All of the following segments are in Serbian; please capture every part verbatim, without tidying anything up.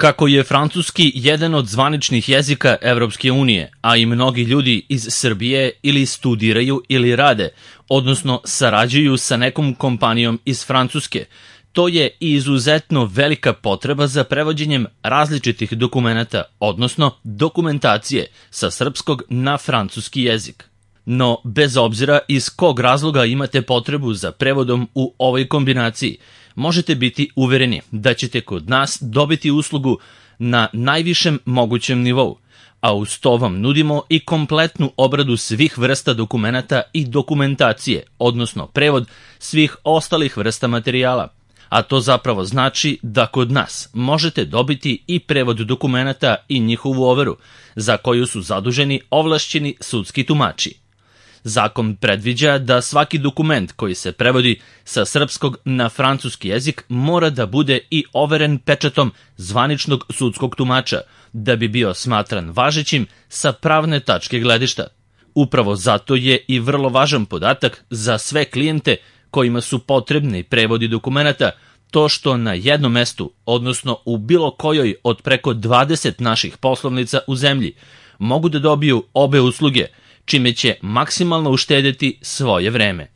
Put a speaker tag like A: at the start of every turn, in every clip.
A: Kako je francuski jedan od zvaničnih jezika Evropske unije, a i mnogi ljudi iz Srbije ili studiraju ili rade, odnosno sarađuju sa nekom kompanijom iz Francuske, to je i izuzetno velika potreba za prevođenjem različitih dokumenata, odnosno dokumentacije sa srpskog na francuski jezik. No, bez obzira iz kog razloga imate potrebu za prevodom u ovoj kombinaciji, možete biti uvereni da ćete kod nas dobiti uslugu na najvišem mogućem nivou, a uz to vam nudimo i kompletnu obradu svih vrsta dokumenata i dokumentacije, odnosno prevod svih ostalih vrsta materijala. A to zapravo znači da kod nas možete dobiti i prevod dokumenata i njihovu overu, za koju su zaduženi ovlašćeni sudski tumači. Zakon predviđa da svaki dokument koji se prevodi sa srpskog na francuski jezik mora da bude i overen pečatom zvaničnog sudskog tumača, da bi bio smatran važećim sa pravne tačke gledišta. Upravo zato je i vrlo važan podatak za sve klijente kojima su potrebni prevodi dokumenata, to što na jednom mestu, odnosno u bilo kojoj od preko dvadeset naših poslovnica u zemlji, mogu da dobiju obe usluge, čime će maksimalno uštedeti svoje vreme.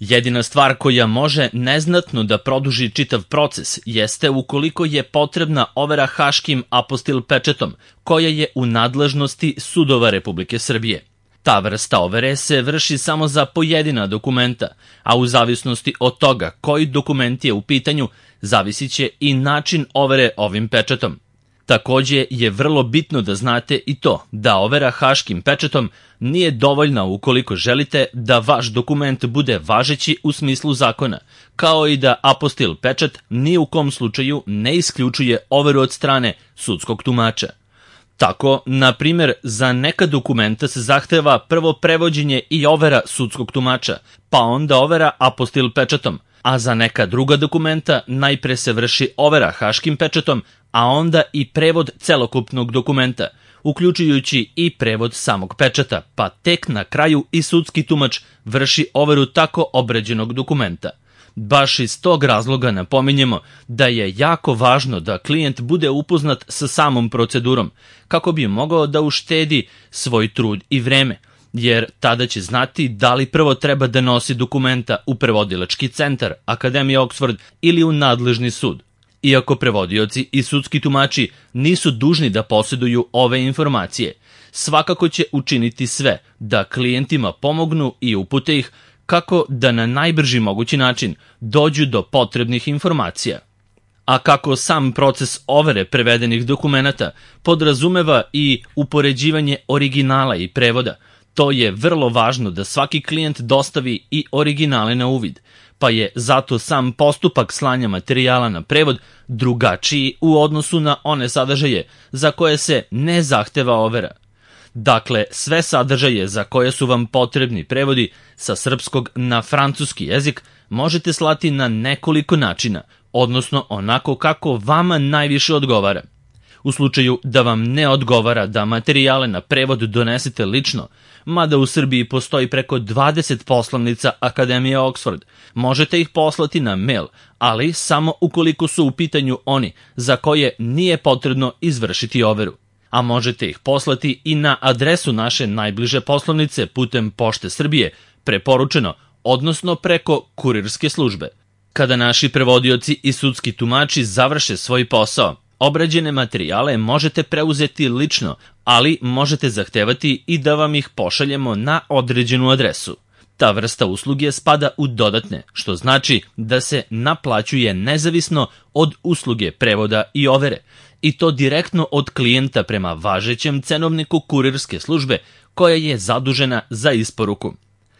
A: Jedina stvar koja može neznatno da produži čitav proces jeste ukoliko je potrebna overa haškim apostil pečetom, koja je u nadležnosti sudova Republike Srbije. Ta vrsta overe se vrši samo za pojedina dokumenta, a u zavisnosti od toga koji dokument je u pitanju, zavisit će i način overe ovim pečatom. Takođe je vrlo bitno da znate i to da overa haškim pečatom nije dovoljna ukoliko želite da vaš dokument bude važeći u smislu zakona, kao i da apostil pečat ni u kom slučaju ne isključuje overu od strane sudskog tumača. Tako, na primjer, za neka dokumenta se zahteva prvo prevođenje i overa sudskog tumača, pa onda overa apostil pečatom, a za neka druga dokumenta najpre se vrši overa haškim pečatom, a onda i prevod celokupnog dokumenta, uključujući i prevod samog pečata, pa tek na kraju i sudski tumač vrši overu tako obređenog dokumenta. Baš iz tog razloga napominjemo da je jako važno da klijent bude upoznat sa samom procedurom, kako bi mogao da uštedi svoj trud i vreme, jer tada će znati da li prvo treba da nosi dokumenta u prevodilački centar, Akademija Oxford ili u nadležni sud. Iako prevodioci i sudski tumači nisu dužni da posjeduju ove informacije, svakako će učiniti sve da klijentima pomognu i upute ih kako da na najbrži mogući način dođu do potrebnih informacija. A kako sam proces overe prevedenih dokumenata podrazumeva i upoređivanje originala i prevoda, to je vrlo važno da svaki klijent dostavi i originale na uvid, pa je zato sam postupak slanja materijala na prevod drugačiji u odnosu na one sadržaje za koje se ne zahteva overa. Dakle, sve sadržaje za koje su vam potrebni prevodi sa srpskog na francuski jezik možete slati na nekoliko načina, odnosno onako kako vama najviše odgovara. U slučaju da vam ne odgovara da materijale na prevod donesete lično, mada u Srbiji postoji preko dvadeset poslovnica Akademije Oxford, možete ih poslati na mail, ali samo ukoliko su u pitanju oni za koje nije potrebno izvršiti overu. A možete ih poslati i na adresu naše najbliže poslovnice putem Pošte Srbije, preporučeno, odnosno preko kurirske službe. Kada naši prevodioci i sudski tumači završe svoj posao, obrađene materijale možete preuzeti lično, ali možete zahtevati i da vam ih pošaljemo na određenu adresu. Ta vrsta usluge spada u dodatne, što znači da se naplaćuje nezavisno od usluge prevoda i overe, i to direktno od klijenta prema važećem cenovniku kurirske službe koja je zadužena za isporuku.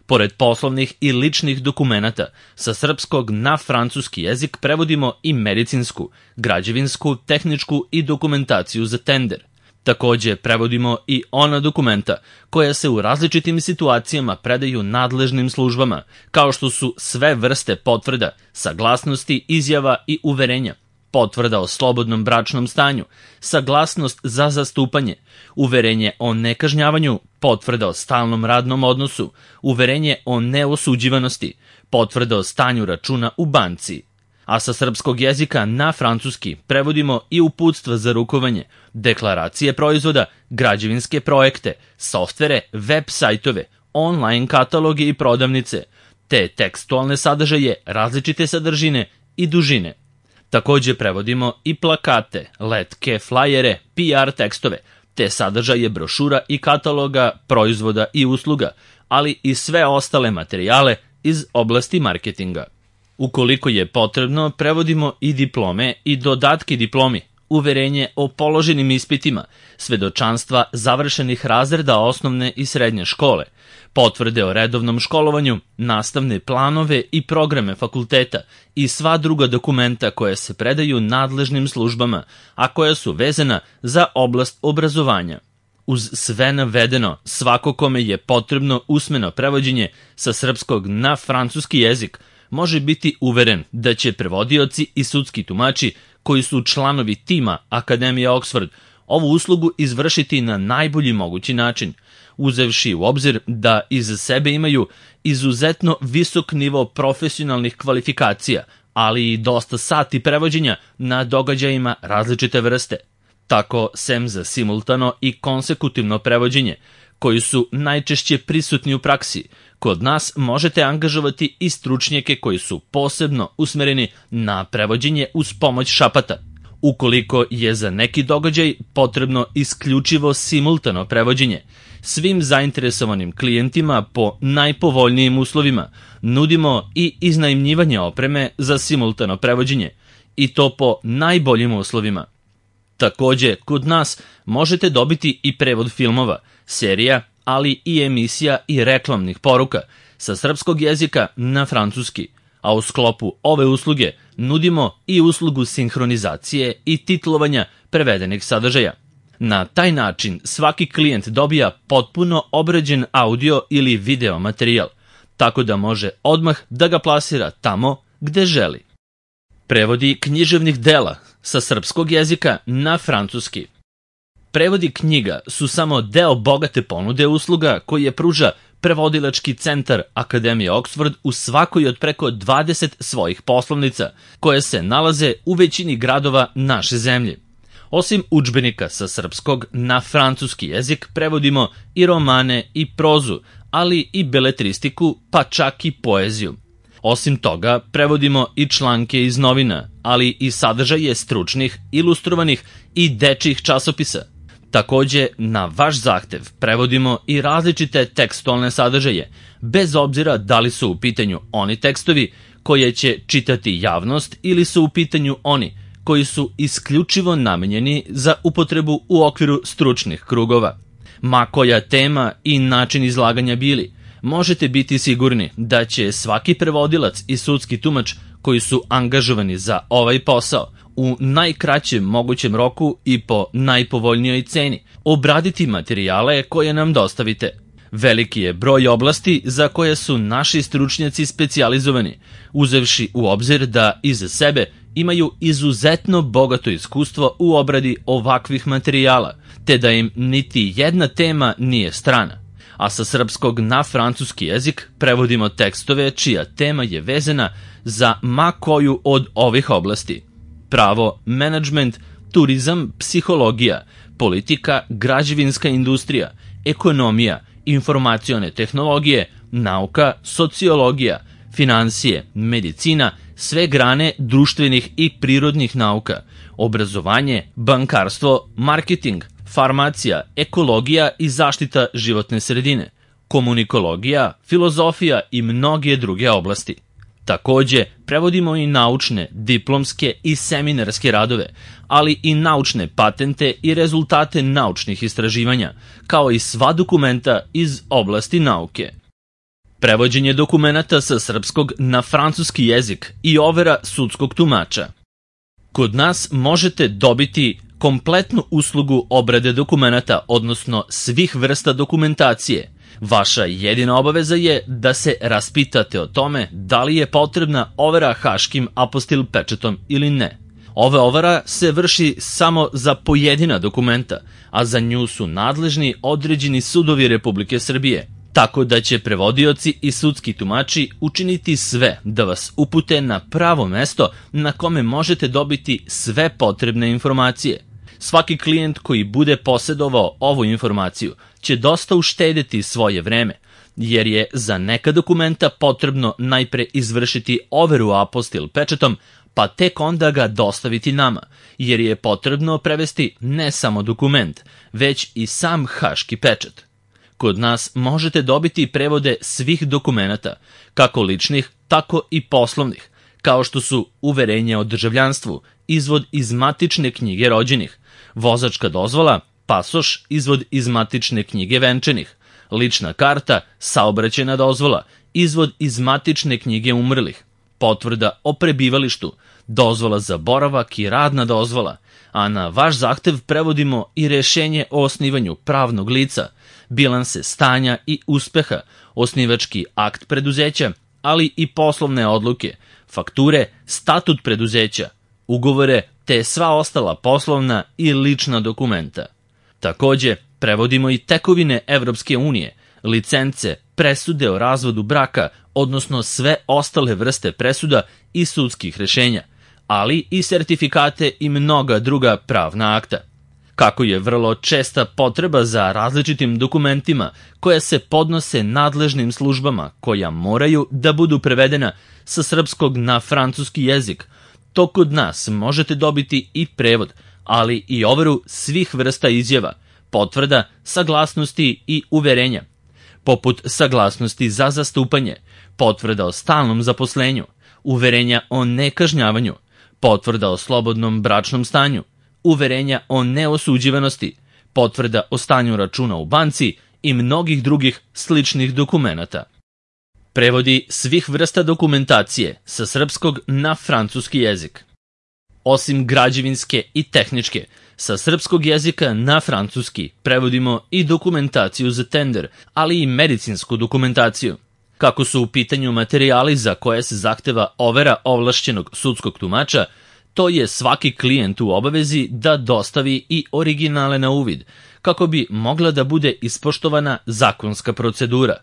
A: Pored poslovnih i ličnih dokumenata, sa srpskog na francuski jezik prevodimo i medicinsku, građevinsku, tehničku i dokumentaciju za tender. Takođe prevodimo i ona dokumenta koja se u različitim situacijama predaju nadležnim službama, kao što su sve vrste potvrda, saglasnosti, izjava i uverenja, potvrda o slobodnom bračnom stanju, saglasnost za zastupanje, uverenje o nekažnjavanju, potvrda o stalnom radnom odnosu, uverenje o neosuđivanosti, potvrda o stanju računa u banci. a sa srpskog jezika na francuski prevodimo i uputstva za rukovanje, deklaracije proizvoda, građevinske projekte, softvere, web sajtove, online kataloge i prodavnice, te tekstualne sadržaje, različite sadržine i dužine. Takođe prevodimo i plakate, letke, flajere, P R tekstove, te sadržaje brošura i kataloga proizvoda i usluga, ali i sve ostale materijale iz oblasti marketinga. Ukoliko je potrebno, prevodimo i diplome i dodatke diplomi, uverenje o položenim ispitima, svedočanstva završenih razreda osnovne i srednje škole, potvrde o redovnom školovanju, nastavne planove i programe fakulteta i sva druga dokumenta koja se predaju nadležnim službama, a koja su vezana za oblast obrazovanja. Uz sve navedeno, svako kome je potrebno usmeno prevođenje sa srpskog na francuski jezik može biti uveren da će prevodioci i sudski tumači koji su članovi tima Akademije Oxford ovu uslugu izvršiti na najbolji mogući način, uzevši u obzir da iza sebe imaju izuzetno visok nivo profesionalnih kvalifikacija, ali i dosta sati prevođenja na događajima različite vrste. Tako, sem za simultano i konsekutivno prevođenje, koji su najčešće prisutni u praksi, kod nas možete angažovati i stručnjake koji su posebno usmereni na prevođenje uz pomoć šapata. Ukoliko je za neki događaj potrebno isključivo simultano prevođenje, svim zainteresovanim klijentima po najpovoljnijim uslovima nudimo i iznajmljivanje opreme za simultano prevođenje, i to po najboljim uslovima. Takođe, kod nas možete dobiti i prevod filmova, serija, ali i emisija i reklamnih poruka sa srpskog jezika na francuski, a u sklopu ove usluge nudimo i uslugu sinhronizacije i titlovanja prevedenih sadržaja. Na taj način svaki klijent dobija potpuno obrađen audio ili video materijal, tako da može odmah da ga plasira tamo gde želi. Prevodi književnih dela sa srpskog jezika na francuski. Prevodi knjiga su samo deo bogate ponude usluga koje pruža prevodilački centar Akademije Oxford u svakoj od preko dvadeset svojih poslovnica, koje se nalaze u većini gradova naše zemlje. Osim udžbenika sa srpskog na francuski jezik, prevodimo i romane i prozu, ali i beletristiku, pa čak i poeziju. Osim toga, prevodimo i članke iz novina, ali i sadržaje stručnih, ilustrovanih i dečjih časopisa. Takođe, na vaš zahtev prevodimo i različite tekstualne sadržaje, bez obzira da li su u pitanju oni tekstovi koje će čitati javnost ili su u pitanju oni koji su isključivo namenjeni za upotrebu u okviru stručnih krugova. Ma koja tema i način izlaganja bili, možete biti sigurni da će svaki prevodilac i sudski tumač koji su angažovani za ovaj posao u najkraćem mogućem roku i po najpovoljnijoj ceni obraditi materijale koje nam dostavite. Veliki je broj oblasti za koje su naši stručnjaci specijalizovani, uzevši u obzir da iza sebe imaju izuzetno bogato iskustvo u obradi ovakvih materijala, te da im niti jedna tema nije strana. A sa srpskog na francuski jezik prevodimo tekstove čija tema je vezana za ma koju od ovih oblasti. Pravo, menadžment, turizam, psihologija, politika, građevinska industrija, ekonomija, informacione tehnologije, nauka, sociologija, finansije, medicina, sve grane društvenih i prirodnih nauka, obrazovanje, bankarstvo, marketing, farmacija, ekologija i zaštita životne sredine, komunikologija, filozofija i mnoge druge oblasti. Takođe, prevodimo i naučne, diplomske i seminarske radove, ali i naučne patente i rezultate naučnih istraživanja, kao i sva dokumenta iz oblasti nauke. Prevođenje dokumenata sa srpskog na francuski jezik i overa sudskog tumača. Kod nas možete dobiti kompletnu uslugu obrade dokumenata, odnosno svih vrsta dokumentacije. Vaša jedina obaveza je da se raspitate o tome da li je potrebna overa haškim apostil pečetom ili ne. Ova overa se vrši samo za pojedina dokumenta, a za nju su nadležni određeni sudovi Republike Srbije. tako da će prevodioci i sudski tumači učiniti sve da vas upute na pravo mesto na kome možete dobiti sve potrebne informacije. Svaki klijent koji bude posedovao ovu informaciju će dosta uštedeti svoje vreme, jer je za neka dokumenta potrebno najpre izvršiti overu apostil pečatom, pa tek onda ga dostaviti nama, jer je potrebno prevesti ne samo dokument, već i sam haški pečat. Kod nas možete dobiti prevode svih dokumenata, kako ličnih, tako i poslovnih, kao što su uverenje o državljanstvu, izvod iz matične knjige rođenih, vozačka dozvola, pasoš, izvod iz matične knjige venčanih, lična karta, saobraćajna dozvola, izvod iz matične knjige umrlih, potvrda o prebivalištu, dozvola za boravak i radna dozvola, a na vaš zahtev prevodimo i rešenje o osnivanju pravnog lica, bilanse stanja i uspeha, osnivački akt preduzeća, ali i poslovne odluke, fakture, statut preduzeća, ugovore te sva ostala poslovna i lična dokumenta. Takođe, prevodimo i tekovine Evropske unije, licence, presude o razvodu braka, odnosno sve ostale vrste presuda i sudskih rešenja, ali i sertifikate i mnoga druga pravna akta. Kako je vrlo česta potreba za različitim dokumentima koja se podnose nadležnim službama koja moraju da budu prevedena sa srpskog na francuski jezik, to kod nas možete dobiti i prevod, ali i overu svih vrsta izjava, potvrda, saglasnosti i uverenja, poput saglasnosti za zastupanje, potvrda o stalnom zaposlenju, uverenja o nekažnjavanju, potvrda o slobodnom bračnom stanju, uverenja o neosuđivanosti, potvrda o stanju računa u banci i mnogih drugih sličnih dokumenata. Prevodi svih vrsta dokumentacije sa srpskog na francuski jezik. Osim građevinske i tehničke, sa srpskog jezika na francuski prevodimo i dokumentaciju za tender, ali i medicinsku dokumentaciju. Kako su u pitanju materijali za koje se zahteva overa ovlašćenog sudskog tumača, to je svaki klijent u obavezi da dostavi i originale na uvid, kako bi mogla da bude ispoštovana zakonska procedura.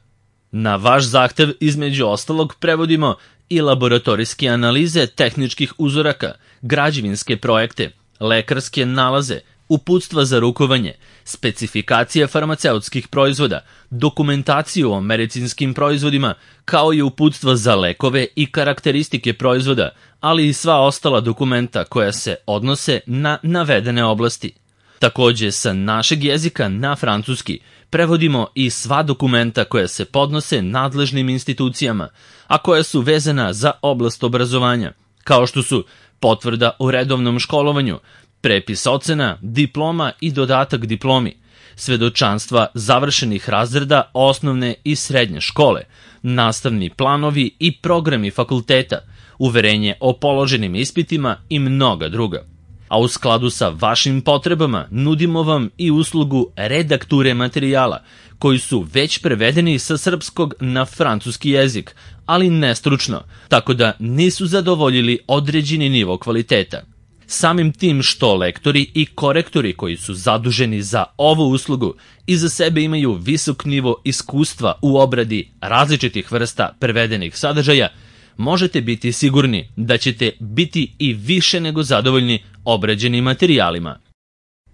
A: Na vaš zahtev, između ostalog, prevodimo i laboratorijske analize tehničkih uzoraka, građevinske projekte, lekarske nalaze, uputstva za rukovanje, specifikacije farmaceutskih proizvoda, dokumentaciju o medicinskim proizvodima, kao i uputstva za lekove i karakteristike proizvoda, ali i sva ostala dokumenta koja se odnose na navedene oblasti. Takođe, sa našeg jezika na francuski prevodimo i sva dokumenta koja se podnose nadležnim institucijama, a koja su vezana za oblast obrazovanja, kao što su potvrda o redovnom školovanju, prepis ocena, diploma i dodatak diplomi, svedočanstva završenih razreda osnovne i srednje škole, nastavni planovi i programi fakulteta, uverenje o položenim ispitima i mnoga druga. A u skladu sa vašim potrebama nudimo vam i uslugu redakture materijala, koji su već prevedeni sa srpskog na francuski jezik, ali nestručno, tako da nisu zadovoljili određeni nivo kvaliteta. Samim tim što lektori i korektori koji su zaduženi za ovu uslugu iza sebe imaju visok nivo iskustva u obradi različitih vrsta prevedenih sadržaja, možete biti sigurni da ćete biti i više nego zadovoljni obrađenim materijalima.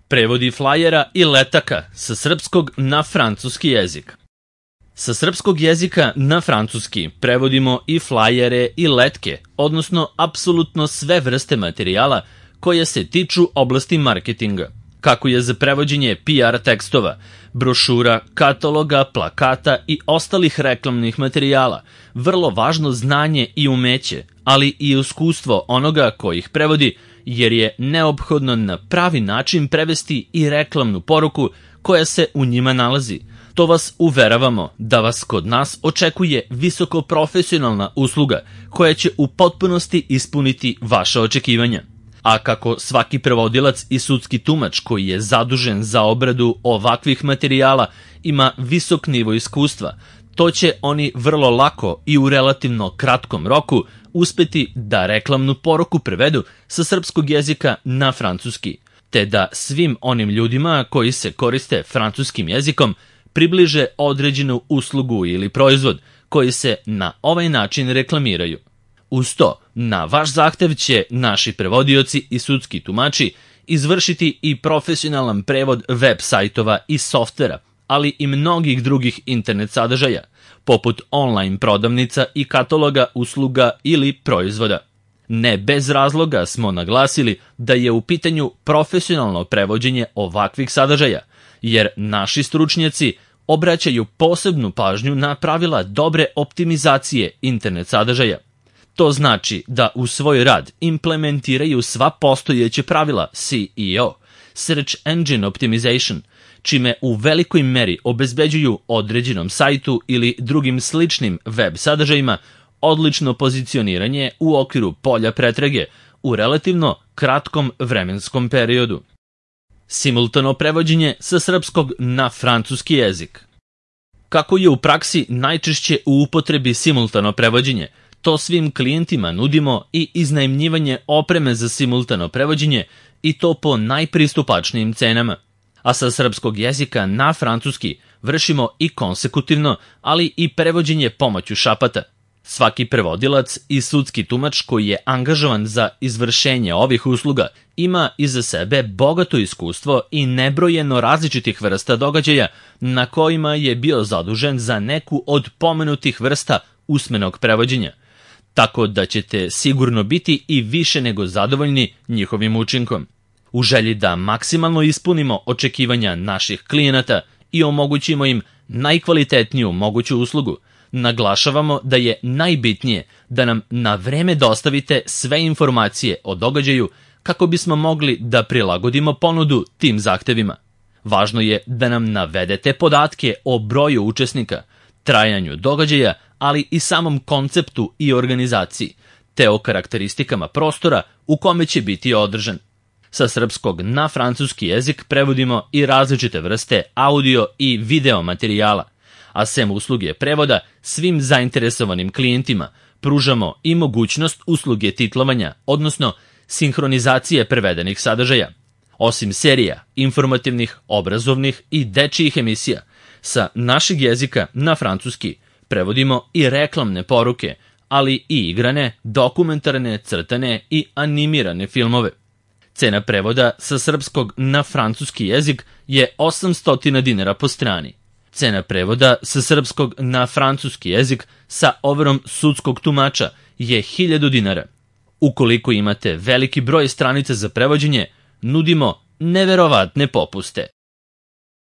A: Prevodi flajera i letaka sa srpskog na francuski jezik. Sa srpskog jezika na francuski prevodimo i flajere i letke, odnosno apsolutno sve vrste materijala koje se tiču oblasti marketinga, kako je za prevođenje P R tekstova, brošura, kataloga, plakata i ostalih reklamnih materijala vrlo važno znanje i umeće, ali i iskustvo onoga koji ih prevodi, jer je neophodno na pravi način prevesti i reklamnu poruku koja se u njima nalazi. To vas uveravamo da vas kod nas očekuje visoko profesionalna usluga koja će u potpunosti ispuniti vaša očekivanja. A kako svaki prevodilac i sudski tumač koji je zadužen za obradu ovakvih materijala ima visok nivo iskustva, to će oni vrlo lako i u relativno kratkom roku uspeti da reklamnu poruku prevedu sa srpskog jezika na francuski, te da svim onim ljudima koji se koriste francuskim jezikom približe određenu uslugu ili proizvod koji se na ovaj način reklamiraju. Uz to, na vaš zahtev će naši prevodioci i sudski tumači izvršiti i profesionalan prevod web sajtova i softvera, ali i mnogih drugih internet sadržaja, poput online prodavnica i kataloga usluga ili proizvoda. Ne bez razloga smo naglasili da je u pitanju profesionalno prevođenje ovakvih sadržaja, jer naši stručnjaci obraćaju posebnu pažnju na pravila dobre optimizacije internet sadržaja. To znači da u svoj rad implementiraju sva postojeća pravila S E O, Search Engine Optimization, čime u velikoj meri obezbeđuju određenom sajtu ili drugim sličnim web sadržajima odlično pozicioniranje u okviru polja pretrage u relativno kratkom vremenskom periodu. Simultano prevođenje sa srpskog na francuski jezik. Kako je u praksi najčešće u upotrebi simultano prevođenje, to svim klijentima nudimo i iznajmljivanje opreme za simultano prevođenje i to po najpristupačnijim cenama. A sa srpskog jezika na francuski vršimo i konsekutivno, ali i prevođenje pomoću šapata. Svaki prevodilac i sudski tumač koji je angažovan za izvršenje ovih usluga ima iza sebe bogato iskustvo i nebrojeno različitih vrsta događaja na kojima je bio zadužen za neku od pomenutih vrsta usmenog prevođenja, tako da ćete sigurno biti i više nego zadovoljni njihovim učinkom. U želji da maksimalno ispunimo očekivanja naših klijenata i omogućimo im najkvalitetniju moguću uslugu, naglašavamo da je najbitnije da nam na vreme dostavite sve informacije o događaju kako bismo mogli da prilagodimo ponudu tim zahtevima. Važno je da nam navedete podatke o broju učesnika, trajanju događaja, ali i samom konceptu i organizaciji, te o karakteristikama prostora u kome će biti održan. Sa srpskog na francuski jezik prevodimo i različite vrste audio i video materijala, a sem usluge prevoda svim zainteresovanim klijentima pružamo i mogućnost usluge titlovanja, odnosno sinhronizacije prevedenih sadržaja. Osim serija, informativnih, obrazovnih i dečijih emisija, sa našeg jezika na francuski prevodimo i reklamne poruke, ali i igrane, dokumentarne, crtane i animirane filmove. Cena prevoda sa srpskog na francuski jezik je osamsto dinara po strani. Cena prevoda sa srpskog na francuski jezik sa overom sudskog tumača je hiljadu dinara. Ukoliko imate veliki broj stranica za prevođenje, nudimo neverovatne popuste.